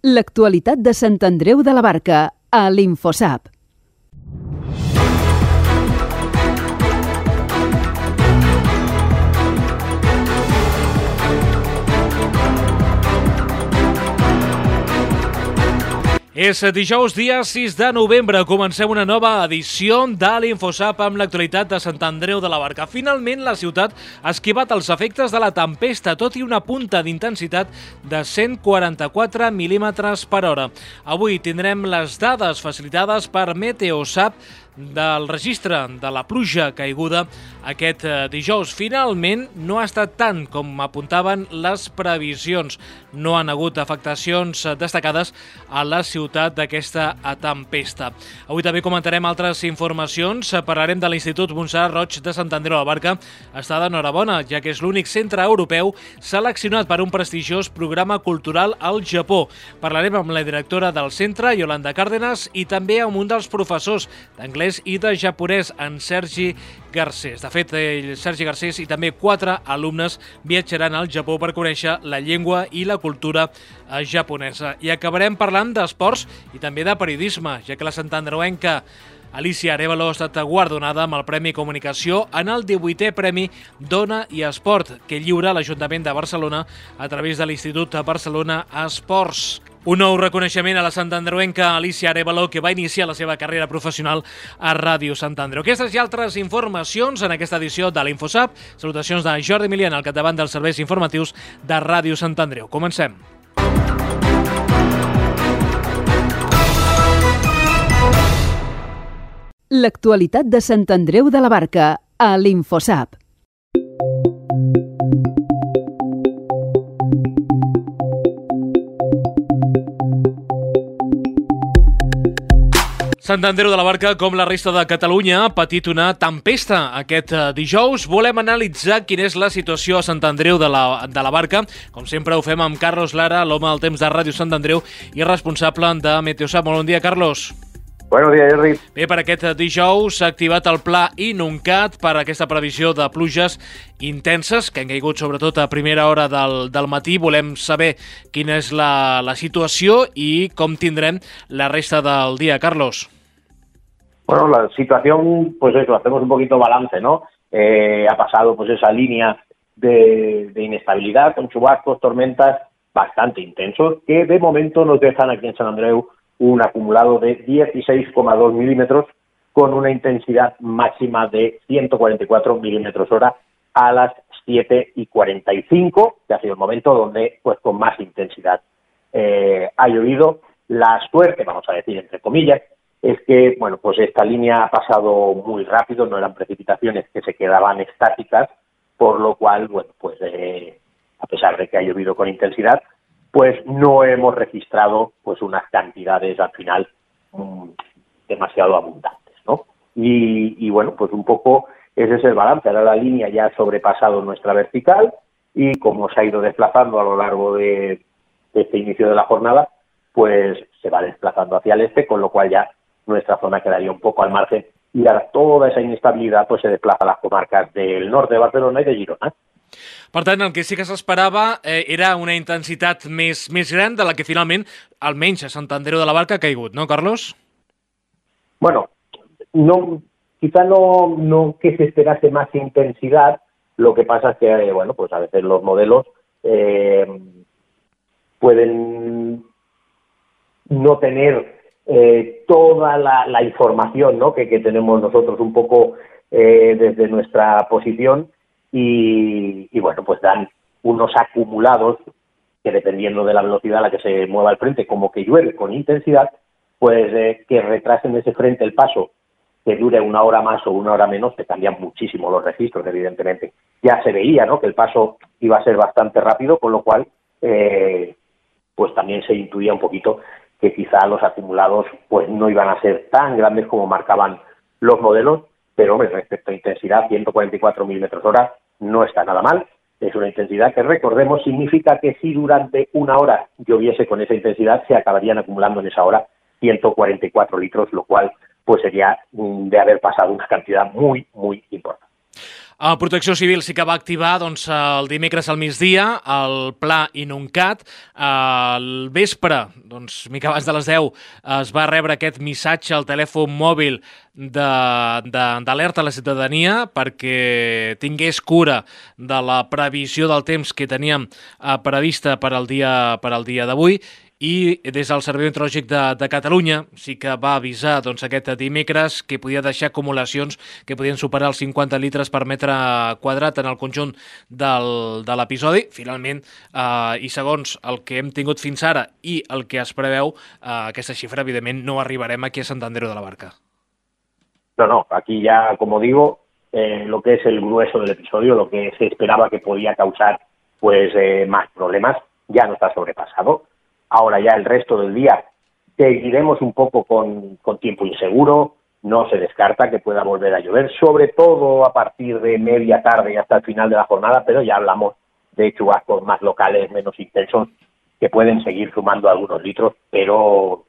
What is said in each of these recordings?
L'actualitat de Sant Andreu de la Barca, a l'Infosap. És dijous, dia 6 de novembre. Comencem una nova edició de l'Infosap amb l'actualitat de Sant Andreu de la Barca. Finalment, la ciutat ha esquivat els efectes de la tempesta, tot i una punta d'intensitat de 144 mil·límetres per hora. Avui tindrem les dades facilitades per Meteosap del registre de la pluja caiguda aquest dijous. Finalment, no ha estat tant com apuntaven les previsions. No han hagut afectacions destacades a la ciutat d'aquesta tempesta. Avui també comentarem altres informacions. Parlarem de l'Institut Montserrat Roig de Sant Andreu de la Barca. Està d'enhorabona, ja que és l'únic centre europeu seleccionat per un prestigiós programa cultural al Japó. Parlarem amb la directora del centre, Yolanda Cárdenas, i també amb un dels professors d'anglès i de japonès, en Sergi Garcés. De fet, Sergi Garcés i també 4 alumnes viatjaran al Japó per conèixer la llengua i la cultura japonesa. I acabarem parlant d'esports i també de periodisme, ja que la santandreuenca Alicia Arévalo ha estat guardonada amb el Premi Comunicació en el 18è Premi Dona i Esport, que lliura l'Ajuntament de Barcelona a través de l'Institut Barcelona Esports. Un nou reconeixement a la santandreuenca Alicia Arévalo, que va iniciar la seva carrera professional a Ràdio Sant Andreu. Aquestes i altres informacions en aquesta edició de l'Infosap. Salutacions de Jordi Milian, al capdavant dels serveis informatius de Ràdio Sant Andreu. Comencem. L'actualitat de Sant Andreu de la Barca, a l'Infosap. Sant Andreu de la Barca, com la resta de Catalunya, ha patit una tempesta aquest dijous. Volem analitzar quina és la situació a Sant Andreu de la Barca. Com sempre ho fem amb Carlos Lara, l'home del temps de Ràdio Sant Andreu i responsable de Meteosap. Molt bon dia, Carlos. Buenos días, Jordi. Bé, per aquest dijous s'ha activat el pla Inuncat per aquesta previsió de pluges intenses que han caigut sobretot a primera hora del matí. Volem saber quina és la situació i com tindrem la resta del dia, Carlos. Bueno, la situación, pues eso, hacemos un poquito balance, ¿no? Ha pasado pues esa línea de inestabilidad con chubascos, tormentas bastante intensos que de momento nos dejan aquí en San Andreu un acumulado de 16,2 milímetros con una intensidad máxima de 144 milímetros hora a las 7:45, que ha sido el momento donde pues con más intensidad ha llovido. La suerte, vamos a decir entre comillas, es que bueno, pues esta línea ha pasado muy rápido, no eran precipitaciones que se quedaban estáticas, por lo cual, bueno, pues a pesar de que ha llovido con intensidad, pues no hemos registrado pues unas cantidades al final demasiado abundantes, ¿no? Y bueno, pues un poco ese es el balance. Ahora la línea ya ha sobrepasado nuestra vertical y como se ha ido desplazando a lo largo de este inicio de la jornada, pues se va desplazando hacia el este, con lo cual ya nuestra zona quedaría un poco al margen y ahora toda esa inestabilidad pues se desplaza a las comarcas del norte de Barcelona i de Girona. Per tant, el que sí que s'esperava era una intensitat més gran de la que finalment, almenys a Sant Andreu de la Barca, ha caigut, ¿no, Carlos? Bueno, quizá no que se esperase más intensidad, lo que pasa es que, bueno, pues a veces los modelos pueden no tener toda la información, ¿no? que tenemos nosotros un poco desde nuestra posición. Y bueno, pues dan unos acumulados que dependiendo de la velocidad a la que se mueva el frente, como que llueve con intensidad, pues que retrasen ese frente el paso, que dure una hora más o una hora menos, que cambian muchísimo los registros, evidentemente. Ya se veía, ¿no?, que el paso iba a ser bastante rápido, con lo cual pues también se intuía un poquito que quizá los acumulados pues no iban a ser tan grandes como marcaban los modelos. Pero, hombre, respecto a intensidad, 144 milímetros hora no está nada mal. Es una intensidad que, recordemos, significa que si durante una hora lloviese con esa intensidad, se acabarían acumulando en esa hora 144 litros, lo cual pues sería de haber pasado una cantidad muy, muy importante. Protecció Civil sí que va activar el dimecres al migdia el pla Inuncat. Al vespre, mica abans de les 10, es va rebre aquest missatge al telèfon mòbil d'alerta a la ciutadania perquè tingués cura de la previsió del temps que teníem prevista per al dia d'avui. I des del Servei Meteorològic de Catalunya sí que va avisar aquest dimecres que podia deixar acumulacions que podien superar els 50 litres per metre quadrat en el conjunt de l'episodi. Finalment, i segons el que hem tingut fins ara i el que es preveu, aquesta xifra, evidentment, no arribarem aquí a Sant Andreu de la Barca. No, aquí ya, como digo, lo que es el grueso del episodio, lo que se esperaba que podía causar más problemas, ya no está sobrepasado. Ahora ya el resto del día seguiremos un poco con tiempo inseguro, no se descarta que pueda volver a llover, sobre todo a partir de media tarde y hasta el final de la jornada, pero ya hablamos de chubascos más locales, menos intensos, que pueden seguir sumando algunos litros, pero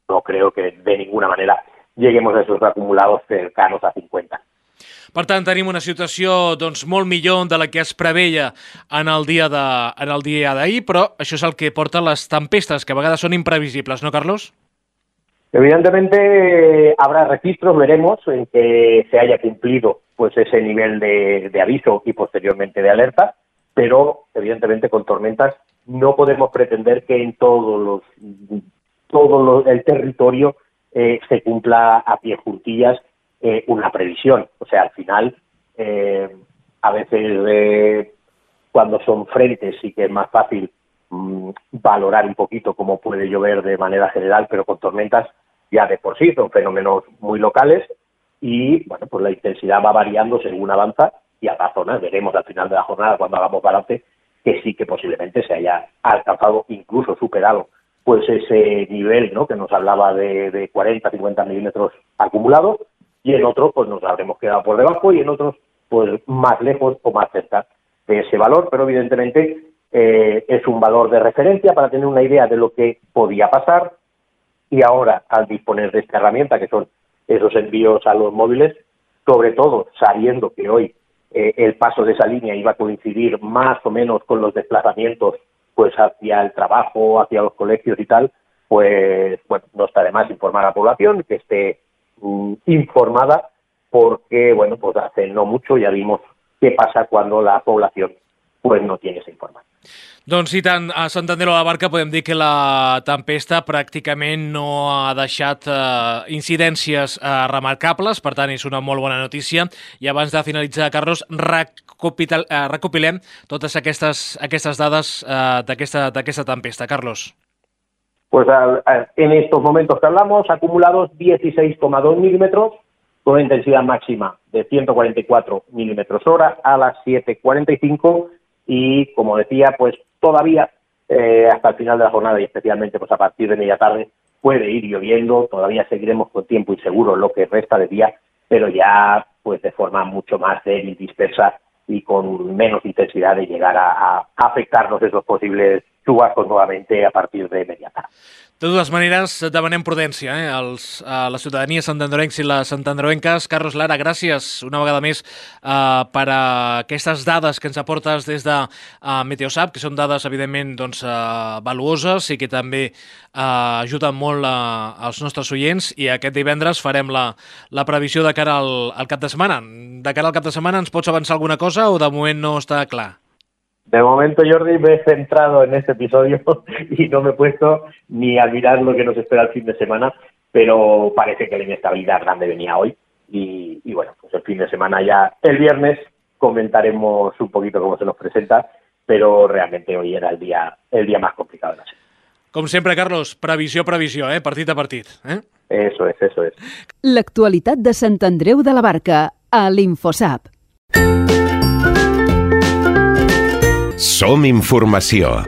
no creo que de ninguna manera lleguemos a esos acumulados cercanos a 50. Per tant, tenim una situació molt millor de la que es preveia en el dia d'ahir, però això és el que porta les tempestes, que a vegades són imprevisibles, ¿no, Carlos? Evidentemente habrá registros, veremos en que se haya cumplido ese nivel de aviso y posteriormente de alerta, pero evidentemente con tormentas no podemos pretender que en todo el territorio se cumpla a pie juntillas una previsión. O sea, al final, a veces cuando son frentes sí que es más fácil valorar un poquito cómo puede llover de manera general, pero con tormentas ya de por sí son fenómenos muy locales y bueno, pues la intensidad va variando según avanza y habrá zonas, veremos al final de la jornada cuando hagamos balance, que sí que posiblemente se haya alcanzado, incluso superado, ese nivel, ¿no?, que nos hablaba de 40-50 milímetros acumulados, y en otros pues nos habremos quedado por debajo y en otros pues más lejos o más cerca de ese valor, pero evidentemente es un valor de referencia para tener una idea de lo que podía pasar, y ahora al disponer de esta herramienta que son esos envíos a los móviles, sobre todo sabiendo que hoy el paso de esa línea iba a coincidir más o menos con los desplazamientos hacia el trabajo, hacia los colegios y tal, pues bueno, no está de más informar a la población, que esté informada, porque bueno, pues hace no mucho ya vimos qué pasa cuando la población pues no tiene esa información. Doncs i tant, a Sant Andreu de la Barca podem dir que la tempesta pràcticament no ha deixat incidències remarcables, per tant és una molt bona notícia. I abans de finalitzar, Carlos, recopilem totes aquestes dades d'aquesta tempesta. Carlos. Pues en estos momentos que hablamos, acumulados 16,2 milímetros, con una intensidad máxima de 144 milímetros hora a las 7:45, y como decía, pues todavía hasta el final de la jornada y especialmente pues a partir de media tarde puede ir lloviendo, todavía seguiremos con tiempo inseguro lo que resta de día, pero ya pues de forma mucho más débil, dispersa y con menos intensidad de llegar a afectarnos esos posibles chubascos nuevamente a partir de media tarde. De totes maneres, demanem prudència a la ciutadania santandreuencs i les santandreuenques. Carlos Lara, gràcies una vegada més per aquestes dades que ens aportes des de Meteosat, que són dades, evidentment, valuoses i que també ajuden molt als nostres oients. I aquest divendres farem la previsió de cara al cap de setmana. De cara al cap de setmana ens pots avançar alguna cosa o de moment no està clar? De momento, Jordi, me he centrado en este episodio y no me he puesto ni a mirar lo que nos espera el fin de semana, pero parece que la inestabilidad grande venía hoy y bueno, pues el fin de semana ya, el viernes, comentaremos un poquito cómo se nos presenta, pero realmente hoy era el día más complicado de la semana. Com sempre, Carlos, previsió, partit a partit. Eso es. L'actualitat de Sant Andreu de la Barca, a l'Infosap. Som informació.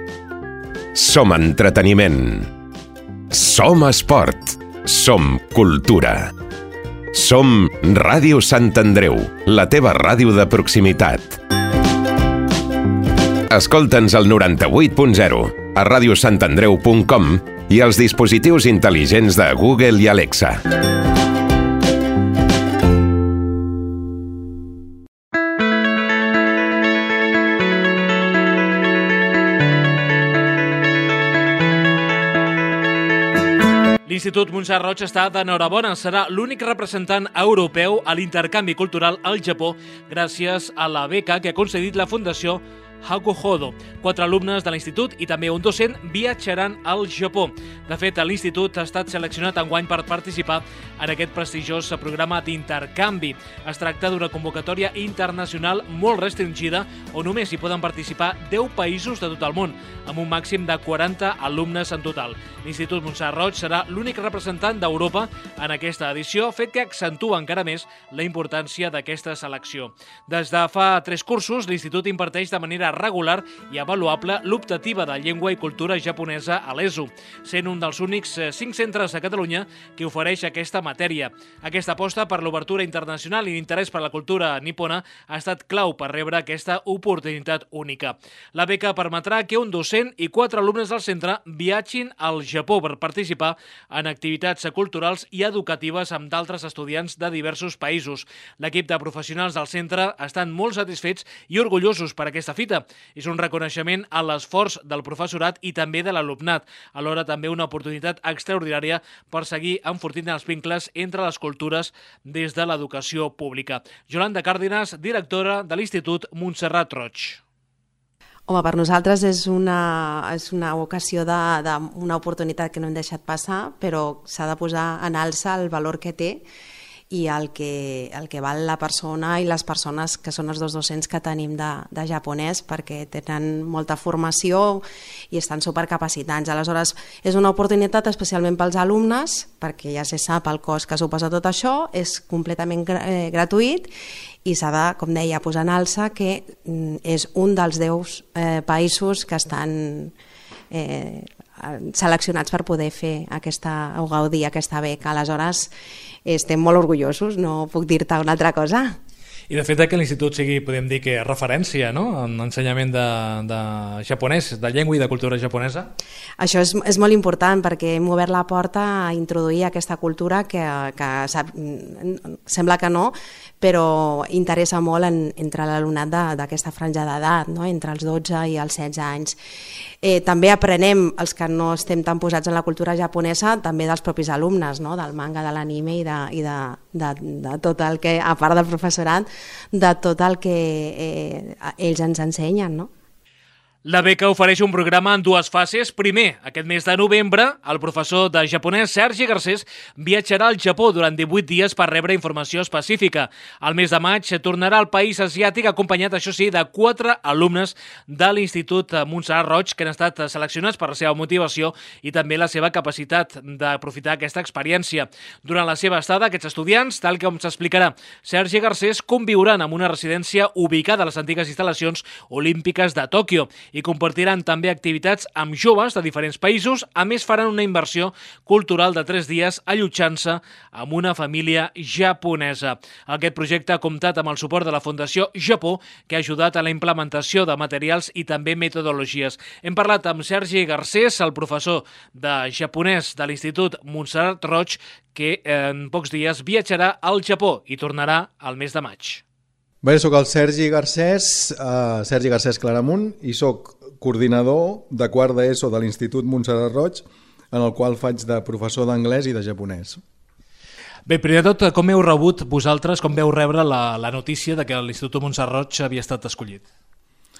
Som entreteniment. Som esport. Som cultura. Som Ràdio Sant Andreu, la teva ràdio de proximitat. Escolta'ns al 98.0, a radiosantandreu.com i als dispositius intel·ligents de Google i Alexa. L'Institut Montserrat Roig està d'enhorabona. Serà l'únic representant europeu a l'intercanvi cultural al Japó gràcies a la beca que ha concedit la Fundació Hakuhodo. 4 alumnes de l'institut i també un docent viatjaran al Japó. De fet, l'institut ha estat seleccionat enguany per participar en aquest prestigiós programa d'intercanvi. Es tracta d'una convocatòria internacional molt restringida on només hi poden participar 10 països de tot el món, amb un màxim de 40 alumnes en total. L'Institut Montserrat Roig serà l'únic representant d'Europa en aquesta edició, fet que accentua encara més la importància d'aquesta selecció. Des de fa 3 cursos, l'Institut imparteix de manera regular i avaluable l'optativa de llengua i cultura japonesa a l'ESO, sent un dels únics 5 centres a Catalunya que ofereix aquesta matèria. Aquesta aposta per l'obertura internacional i l'interès per la cultura nipona ha estat clau per rebre aquesta oportunitat única. La beca permetrà que un docent i 4 alumnes del centre viatgin al Japó per participar en activitats culturals i educatives amb d'altres estudiants de diversos països. L'equip de professionals del centre estan molt satisfets i orgullosos per aquesta fita. És un reconeixement a l'esforç del professorat i també de l'alumnat, alhora també una oportunitat extraordinària per seguir enfortint els vincles entre les cultures des de l'educació pública. Yolanda Cárdenas, directora de l'Institut Montserrat Roig. Home, per nosaltres és una ocasió d'una oportunitat que no hem deixat passar, però s'ha de posar en alça el valor que té i el que val la persona i les persones que són els 2 docents que tenim de japonès, perquè tenen molta formació i estan supercapacitats. Aleshores, és una oportunitat especialment pels alumnes, perquè ja se sap el cost que suposa tot això, és completament gratuït i s'ha de, com deia, posar en alça que és un dels 10 països que estan seleccionats per poder fer o gaudir aquesta beca. Aleshores, estem molt orgullosos, no puc dir-te una altra cosa. I de fet que l'institut sigui, podem dir que referència, no?, en ensenyament de japonès, de llengua i de cultura japonesa. Això és molt important perquè hem obert la porta a introduir aquesta cultura que sembla que no, però interessa molt entre l'alumnat d'aquesta franja d'edat, no?, entre els 12 i els 16 anys. També aprenem, els que no estem tan posats en la cultura japonesa, també dels propis alumnes, no?, del manga, de l'anime i de tot el que, a part del professorat, de tot el que ells ens ensenyen, no? La beca ofereix un programa en 2 fases. Primer, aquest mes de novembre, el professor de japonès Sergi Garcés viatjarà al Japó durant 18 dies per rebre informació específica. Al mes de maig tornarà al país asiàtic acompanyat, això sí, de 4 alumnes de l'Institut Montserrat Roig que han estat seleccionats per la seva motivació i també la seva capacitat d'aprofitar aquesta experiència. Durant la seva estada, aquests estudiants, tal com s'explicarà Sergi Garcés, conviuran en una residència ubicada a les antigues instal·lacions olímpiques de Tòquio i compartiran també activitats amb joves de diferents països. A més, faran una immersió cultural de 3 dies allotjant-se amb una família japonesa. Aquest projecte ha comptat amb el suport de la Fundació Japó, que ha ajudat a la implementació de materials i també metodologies. Hem parlat amb Sergi Garcés, el professor de japonès de l'Institut Montserrat Roig, que en pocs dies viatjarà al Japó i tornarà al mes de maig. Bé, soc el Sergi Garcés Claramunt, i soc coordinador de quart d'ESO de l'Institut Montserrat Roig, en el qual faig de professor d'anglès i de japonès. Bé, primer de tot, com heu rebut vosaltres, com veu rebre la notícia de que l'Institut Montserrat Roig havia estat escollit?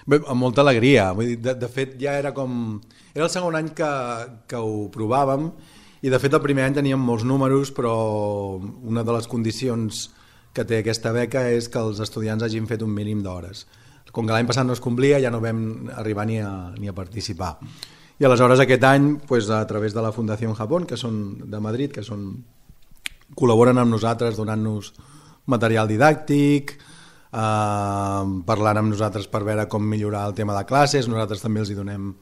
Bé, amb molta alegria. Vull dir, de fet, ja era el segon any que ho provàvem, i de fet el primer any teníem molts números, però una de les condicions que té aquesta beca és que els estudiants hagin fet un mínim d'hores. Com que l'any passat no es complia, ja no vam arribar ni a participar. I aleshores aquest any, a través de la Fundació Japó, que són de Madrid, que col·laboren amb nosaltres donant-nos material didàctic, parlant amb nosaltres per veure com millorar el tema de classes, nosaltres també els hi donem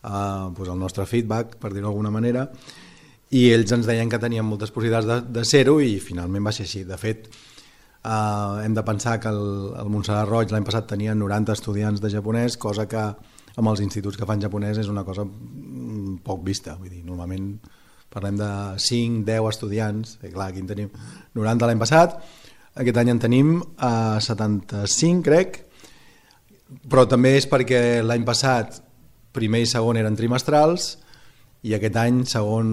el nostre feedback, per dir-ho d'alguna manera, i ells ens deien que tenien moltes possibilitats de ser-ho i finalment va ser així. De fet, hem de pensar que el Montserrat Roig l'any passat tenia 90 estudiants de japonès, cosa que amb els instituts que fan japonès és una cosa poc vista. Vull dir, normalment parlem de 5-10 estudiants, i clar, aquí en tenim 90 l'any passat, aquest any en tenim 75, crec, però també és perquè l'any passat primer i segon eren trimestrals i aquest any segon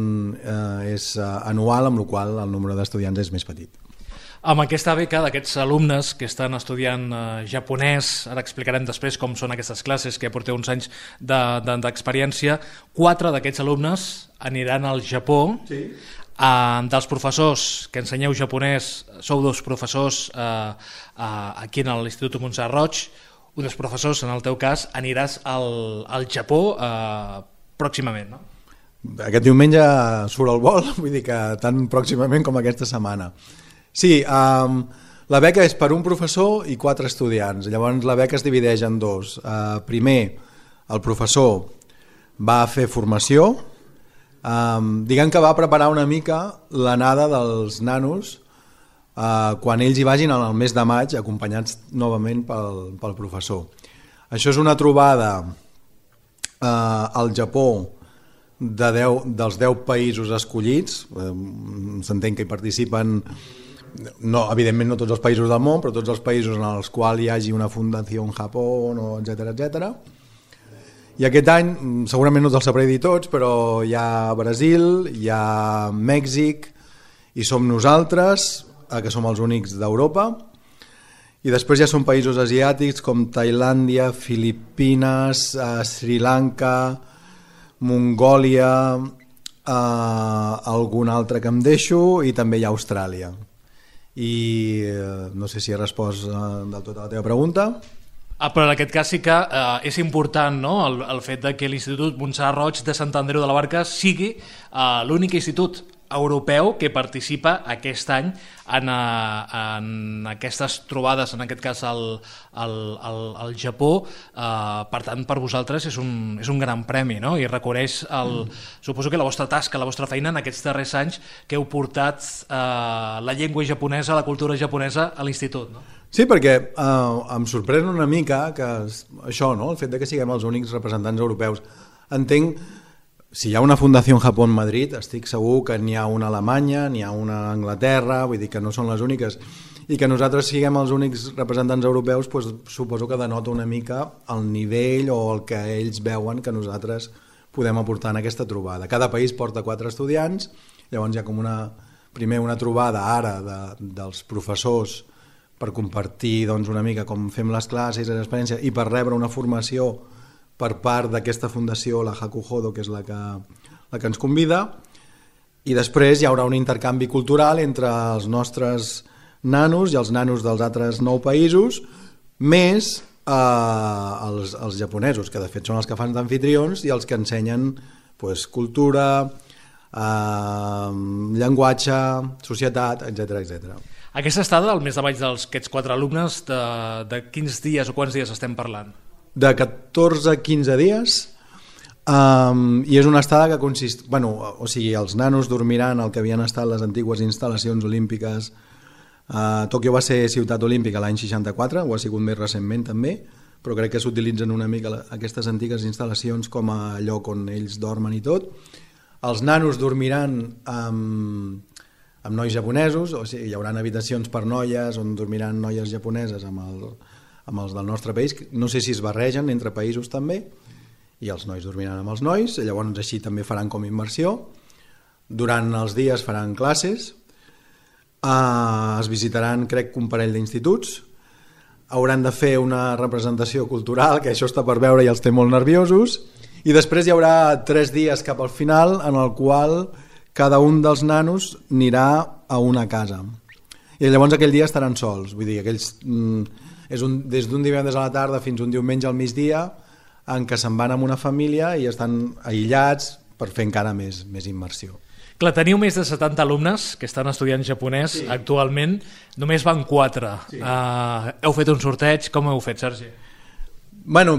és anual, amb la qual cosa el número d'estudiants és més petit. Amb aquesta beca d'aquests alumnes que estan estudiant japonès, ara explicarem després com són aquestes classes, que porteu uns anys d'experiència, 4 d'aquests alumnes aniran al Japó. Sí. Dels professors que ensenyeu japonès, sou 2 professors aquí en l'Institut Montserrat Roig, un dels professors, en el teu cas, aniràs al Japó pròximament, no? Aquest diumenge surt el vol, vull dir que tan pròximament com aquesta setmana. Sí, la beca és per un professor i 4 estudiants. Llavors la beca es divideix en 2. Primer, el professor va fer formació, diguem que va preparar una mica l'anada dels nanos quan ells hi vagin el mes de maig, acompanyats novament pel professor. Això és una trobada al Japó dels 10 països escollits. S'entén que hi participen, no, evidentment no tots els països del món, però tots els països en els quals hi hagi una fundació en Japó, etc. I aquest any, segurament no te'ls sabré dir tots, però hi ha Brasil, hi ha Mèxic, i som nosaltres, que som els únics d'Europa, i després ja són països asiàtics com Tailàndia, Filipines, Sri Lanka, Mongòlia, algun altre que em deixo, i també hi ha Austràlia. I no sé si he respost del tot a la teva pregunta. Però en aquest cas sí que és important, no?, el fet de que l'Institut Montserrat Roig de Sant Andreu de la Barca sigui l'únic institut europeu que participa aquest any en aquestes trobades, en aquest cas al Japó. Per tant, per vosaltres és un gran premi, no? I reconeix, suposo que la vostra tasca, la vostra feina en aquests darrers anys que heu portat la llengua japonesa, la cultura japonesa a l'institut, no? Sí, perquè em sorprèn una mica que això, no?, el fet de que siguem els únics representants europeus. Entenc, si hi ha una fundació en Japó en Madrid, estic segur que n'hi ha una a Alemanya, n'hi ha una a Anglaterra, vull dir que no són les úniques, i que nosaltres siguem els únics representants europeus, doncs suposo que denota una mica el nivell o el que ells veuen que nosaltres podem aportar en aquesta trobada. Cada país porta 4 estudiants, llavors hi ha com primer una trobada ara dels professors per compartir doncs, una mica com fem les classes, l'experiència, i per rebre una formació per part d'aquesta fundació, la Hakuhodo, que és la que ens convida, i després hi haurà un intercanvi cultural entre els nostres nanos i els nanos dels altres 9 països, més els japonesos, que de fet són els que fan d'anfitrions i els que ensenyen pues, cultura, llenguatge, societat, etc. Aquesta estada del mes de maig d'aquests 4 alumnes, de quins dies o quants dies estem parlant? De 14 a 15 dies, i és una estada que consisteix... o sigui, els nanos dormiran al que havien estat les antigues instal·lacions olímpiques. Tòquio va ser ciutat olímpica l'any 64, ho ha sigut més recentment també, però crec que s'utilitzen una mica aquestes antigues instal·lacions com a lloc on ells dormen i tot. Els nanos dormiran amb nois japonesos, o sigui, hi haurà habitacions per noies on dormiran noies japoneses amb els del nostre país. No sé si es barregen entre països també, i els nois dormiran amb els nois, llavors així també faran com immersió. Durant els dies faran classes, es visitaran crec que un parell d'instituts, hauran de fer una representació cultural, que això està per veure i els té molt nerviosos, i després hi haurà 3 dies cap al final en el qual cada un dels nanos anirà a una casa. I llavors aquell dia estaran sols, vull dir, aquells, des d'un divendres a la tarda fins un diumenge al migdia, en què se'n van amb una família i estan aïllats per fer encara més immersió. Clar, teniu més de 70 alumnes que estan estudiant japonès actualment, només van 4. Sí. Heu fet un sorteig, com heu fet, Sergi?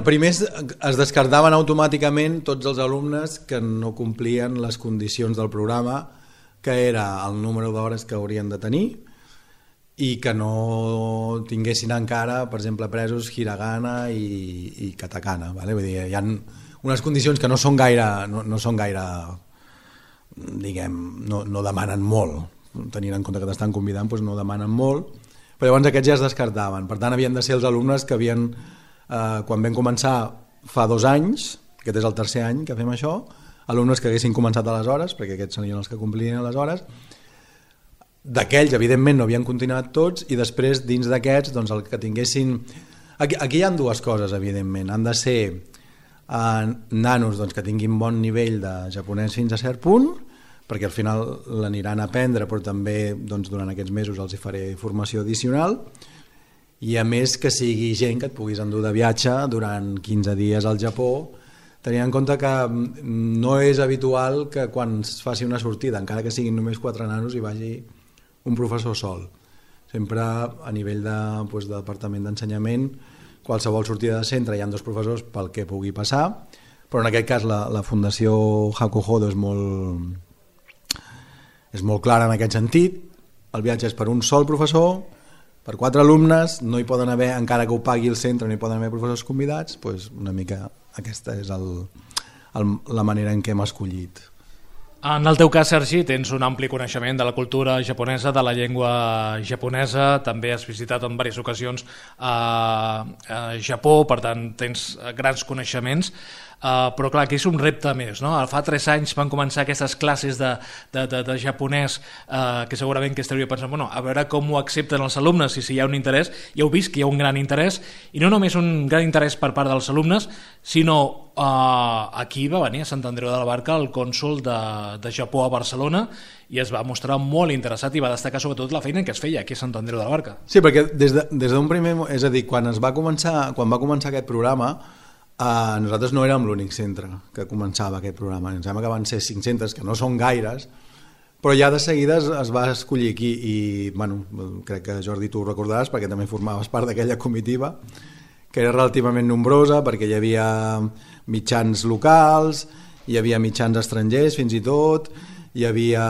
Primer es descartaven automàticament tots els alumnes que no complien les condicions del programa, que era el número d'hores que haurien de tenir i que no tinguessin encara, per exemple, presos hiragana i katakana. Vull dir, hi ha unes condicions que no són gaire, diguem, no demanen molt, tenint en compte que t'estan convidant, doncs no demanen molt, però llavors aquests ja es descartaven. Per tant, havien de ser els alumnes que havien... quan vam començar fa 2 anys, aquest és el 3è any que fem això, alumnes que haguessin començat aleshores, perquè aquests serien els que complirien aleshores. D'aquells, evidentment, no havien continuat tots, i després, dins d'aquests, doncs, el que tinguessin... Aquí hi ha dues coses, evidentment. Han de ser nanos doncs, que tinguin bon nivell de japonès fins a cert punt, perquè al final l'aniran a aprendre, però també doncs, durant aquests mesos els hi faré formació addicional, i a més que sigui gent que et puguis endur de viatge durant 15 dies al Japó, tenint en compte que no és habitual que quan es faci una sortida, encara que siguin només 4 nanos, hi vagi un professor sol. Sempre a nivell de departament d'ensenyament, qualsevol sortida de centre hi ha 2 professors pel que pugui passar, però en aquest cas la Fundació Hakuhodo és molt clara en aquest sentit. El viatge és per un sol professor, per 4 alumnes, no hi poden haver, encara que ho pagui el centre, no hi poden haver professors convidats, doncs una mica aquesta és la manera en què hem escollit. En el teu cas, Sergi, tens un ampli coneixement de la cultura japonesa, de la llengua japonesa, també has visitat en diverses ocasions a Japó, per tant tens grans coneixements, però clar, aquí és un repte més, no? Fa 3 anys van començar aquestes classes de japonès que segurament que estaria pensant, bueno, a veure com ho accepten els alumnes i si hi ha un interès. Ja heu vist que hi ha un gran interès, i no només un gran interès per part dels alumnes, sinó aquí va venir a Sant Andreu de la Barca el cònsol de Japó a Barcelona i es va mostrar molt interessat i va destacar sobretot la feina que es feia aquí a Sant Andreu de la Barca. Sí, perquè des d'un primer... És a dir, quan va començar aquest programa, nosaltres no érem l'únic centre que començava aquest programa. Em sembla que van ser 500, que no són gaires, però ja de seguida es va escollir aquí i, bueno, crec que Jordi tu ho recordaràs perquè també formaves part d'aquella comitiva, que era relativament nombrosa perquè hi havia mitjans locals, hi havia mitjans estrangers fins i tot, hi havia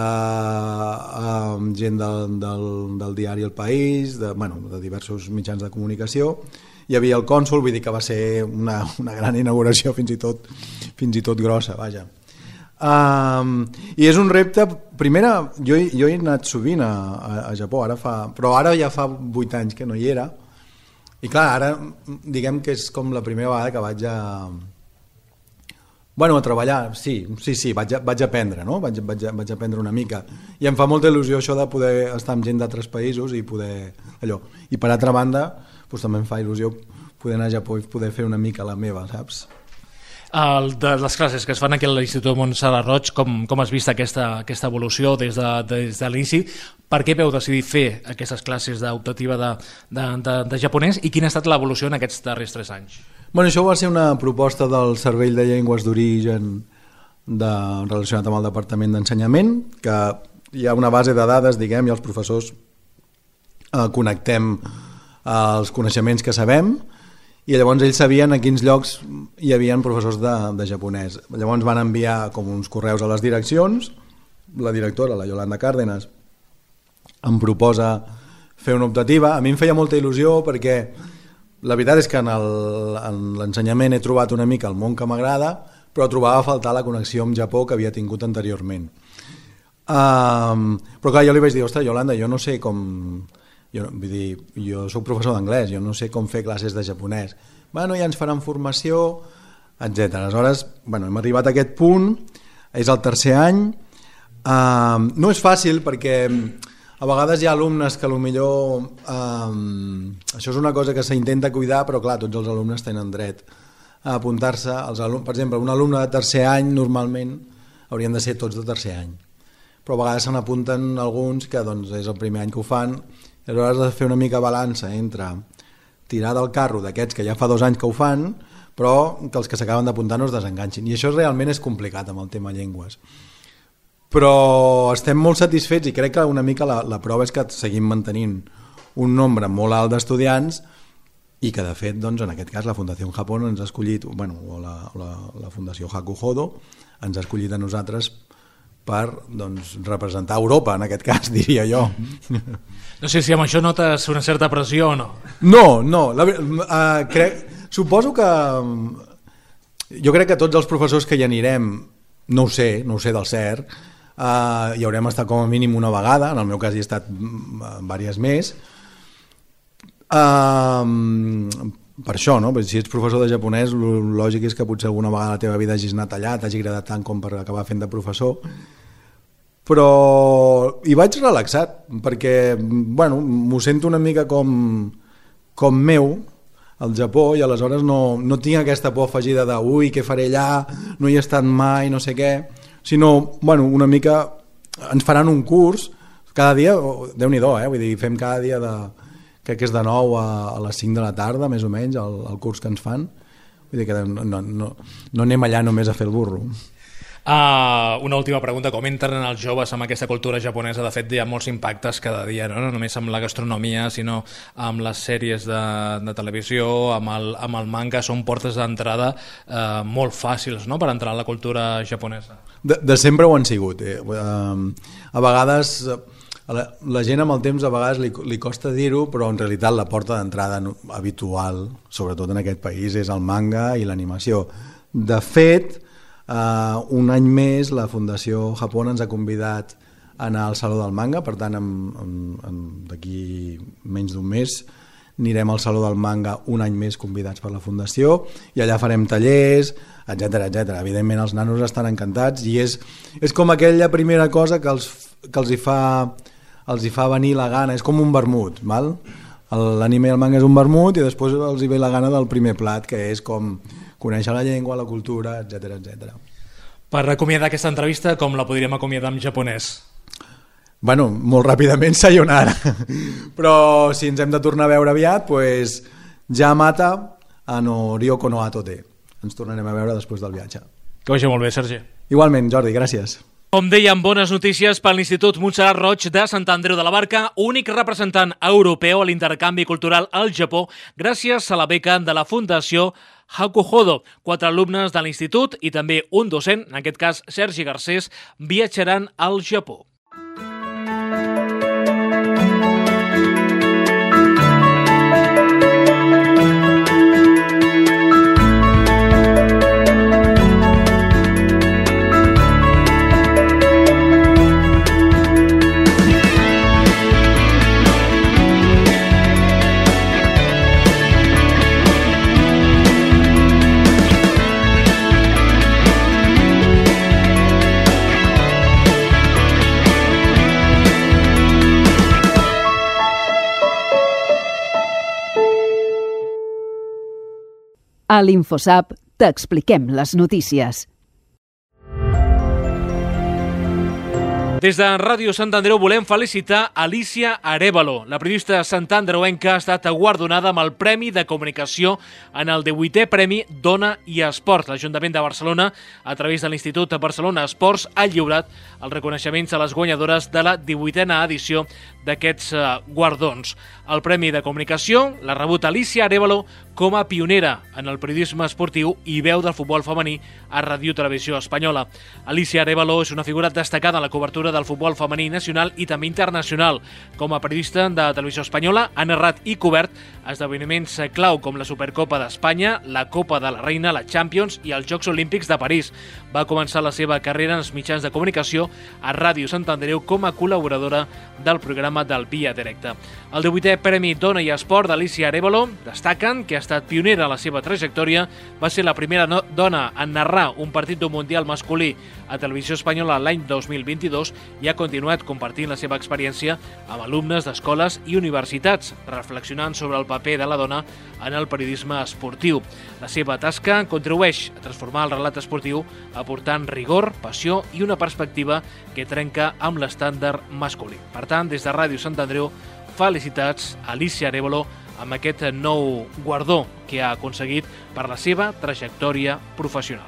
gent del diari El País, de diversos mitjans de comunicació, hi havia el cònsol, vull dir que va ser una gran inauguració fins i tot grossa, vaja. I és un repte, primera, jo he anat sovint a Japó, però ara ja fa 8 anys que no hi era, i clar, ara diguem que és com la primera vegada que vaig a treballar, sí, vaig aprendre, no? Vaig aprendre una mica, i em fa molta il·lusió això de poder estar amb gent d'altres països i poder allò, i per altra banda doncs també em fa il·lusió poder anar a Japó i poder fer una mica la meva, saps? De les classes que es fan aquí a l'Institut Montserrat Roig, com has vist aquesta evolució des de l'inici? Per què vau decidir fer aquestes classes d'optativa de japonès i quina ha estat l'evolució en aquests darrers 3 anys? Bueno, això va ser una proposta del Cervell de Llengües d'Origen relacionat amb el Departament d'Ensenyament, que hi ha una base de dades, diguem, i els professors connectem els coneixements que sabem, i llavors ells sabien a quins llocs hi havia professors de japonès. Llavors van enviar com uns correus a les direccions, la directora, la Yolanda Cárdenas, em proposa fer una optativa. A mi em feia molta il·lusió perquè la veritat és que en l'ensenyament he trobat una mica el món que m'agrada, però trobava a faltar la connexió amb Japó que havia tingut anteriorment. Però clar, jo li vaig dir, ostres, Yolanda, jo no sé com... Jo soc professor d'anglès, jo no sé com fer classes de japonès. Bueno, ja ens faran formació, etc. Aleshores, hem arribat a aquest punt, és el 3è any. No és fàcil perquè a vegades hi ha alumnes que potser això és una cosa que s'intenta cuidar, però clar, tots els alumnes tenen dret a apuntar-se. Per exemple, un alumne de 3è any normalment haurien de ser tots de 3è any, però a vegades se n'apunten alguns que és el primer any que ho fan. Aleshores has de fer una mica balança entre tirar del carro d'aquests que ja fa 2 anys que ho fan, però que els que s'acaben d'apuntar no es desenganxin. I això realment és complicat amb el tema llengües. Però estem molt satisfets i crec que una mica la prova és que seguim mantenint un nombre molt alt d'estudiants i que de fet, en aquest cas, la Fundació Japón ens ha escollit, o la Fundació Hakuhodo ens ha escollit a nosaltres per representar Europa, en aquest cas, diria jo. No sé si amb això notes una certa pressió o no. No, suposo que... Jo crec que tots els professors que hi anirem, no ho sé del cert, hi haurem estat com a mínim una vegada, en el meu cas hi he estat diverses més, per això, no? Si ets professor de japonès, el lògic és que potser alguna vegada la teva vida hagis anat allà, t'hagi agradat tant com per acabar fent de professor, però hi vaig relaxat, perquè bueno, m'ho sento una mica com meu, al Japó, i aleshores no tinc aquesta por afegida de ui, què faré allà, no hi he estat mai, no sé què, sinó, bueno, una mica ens faran un curs cada dia, Déu-n'hi-do, vull dir, fem cada dia crec que és de 9 a les 5 de la tarda, més o menys, el curs que ens fan, vull dir que no anem allà només a fer el burro. Una última pregunta, com entren els joves amb aquesta cultura japonesa? De fet, hi ha molts impactes cada dia, no només amb la gastronomia, sinó amb les sèries de televisió, amb el manga. Són portes d'entrada molt fàcils, no?, per entrar en la cultura japonesa. De sempre ho han sigut. A vegades la gent amb el temps a vegades li costa dir-ho, però en realitat la porta d'entrada habitual, sobretot en aquest país, és el manga i l'animació. De fet, un any més la Fundació Japón ens ha convidat a anar al Saló del Manga, per tant d'aquí menys d'un mes anirem al Saló del Manga un any més convidats per la Fundació, i allà farem tallers, etc. Evidentment els nanos estan encantats i és com aquella primera cosa que els hi fa venir la gana, és com un vermut, val? L'anime i el manga és un vermut i després els hi ve la gana del primer plat, que és com conèixer la llengua, la cultura, etc. Per acomiadar aquesta entrevista, com la podríem acomiadar en japonès? Bueno, molt ràpidament, sayonara. Però si ens hem de tornar a veure aviat, pues, Yamata no Ryoko no Atote. Ens tornarem a veure després del viatge. Que vagi molt bé, Sergi. Igualment, Jordi, gràcies. Com dèiem, bones notícies per l'Institut Montserrat Roig de Sant Andreu de la Barca, únic representant europeu a l'intercanvi cultural al Japó, gràcies a la beca de la Fundació Hakuhodo. 4 alumnes de l'institut i també un docent, en aquest cas Sergi Garcés, viatjaran al Japó. A l'InfoSap t'expliquem les notícies. Des de Ràdio Sant Andreu volem felicitar Alicia Arévalo. La periodista santandreuenca ha estat guardonada amb el Premi de Comunicació en el 18è Premi Dona i Esport. L'Ajuntament de Barcelona, a través de l'Institut Barcelona Esports, ha lliurat els reconeixements a les guanyadores de la 18a edició d'aquests guardons. El Premi de Comunicació l'ha rebut Alicia Arévalo com a pionera en el periodisme esportiu i veu del futbol femení a Ràdio Televisió Espanyola. Alicia Arévalo és una figura destacada en la cobertura del futbol femení nacional i també internacional. Com a periodista de Televisió Espanyola ha narrat i cobert esdeveniments clau com la Supercopa d'Espanya, la Copa de la Reina, la Champions i els Jocs Olímpics de París. Va començar la seva carrera en els mitjans de comunicació a Ràdio Sant Andreu com a col·laboradora del programa del Via Directe. El 18è Premi Dona i Esport d'Alicia Arévalo destaquen que ha estat pionera en la seva trajectòria, va ser la primera dona en narrar un partit d'un Mundial masculí a Televisió Espanyola l'any 2022 i ha continuat compartint la seva experiència amb alumnes d'escoles i universitats, reflexionant sobre el paper de la dona en el periodisme esportiu. La seva tasca contribueix a transformar el relat esportiu aportant rigor, passió i una perspectiva que trenca amb l'estàndard masculí. Per tant, des de Ràdio Sant Andreu, felicitats a Alicia Arévalo amb aquest nou guardó que ha aconseguit per la seva trajectòria professional.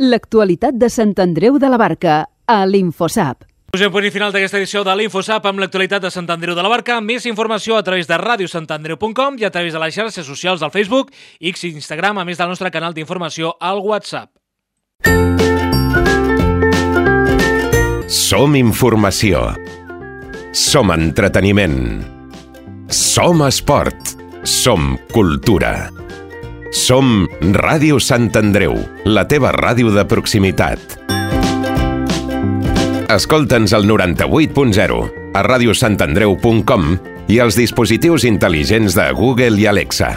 L'actualitat de Sant Andreu de la Barca, a l'InfoSap. Posem punt i final d'aquesta edició de l'InfoSap amb l'actualitat de Sant Andreu de la Barca. Més informació a través de radiosantandreu.com i a través de les xarxes socials del Facebook, X i Instagram, a més del nostre canal d'informació al WhatsApp. Som informació. Som entreteniment. Som esport. Som cultura. Som Ràdio Sant Andreu, la teva ràdio de proximitat. Escolta'ns al 98.0, a radiosantandreu.com i als dispositius intel·ligents de Google i Alexa.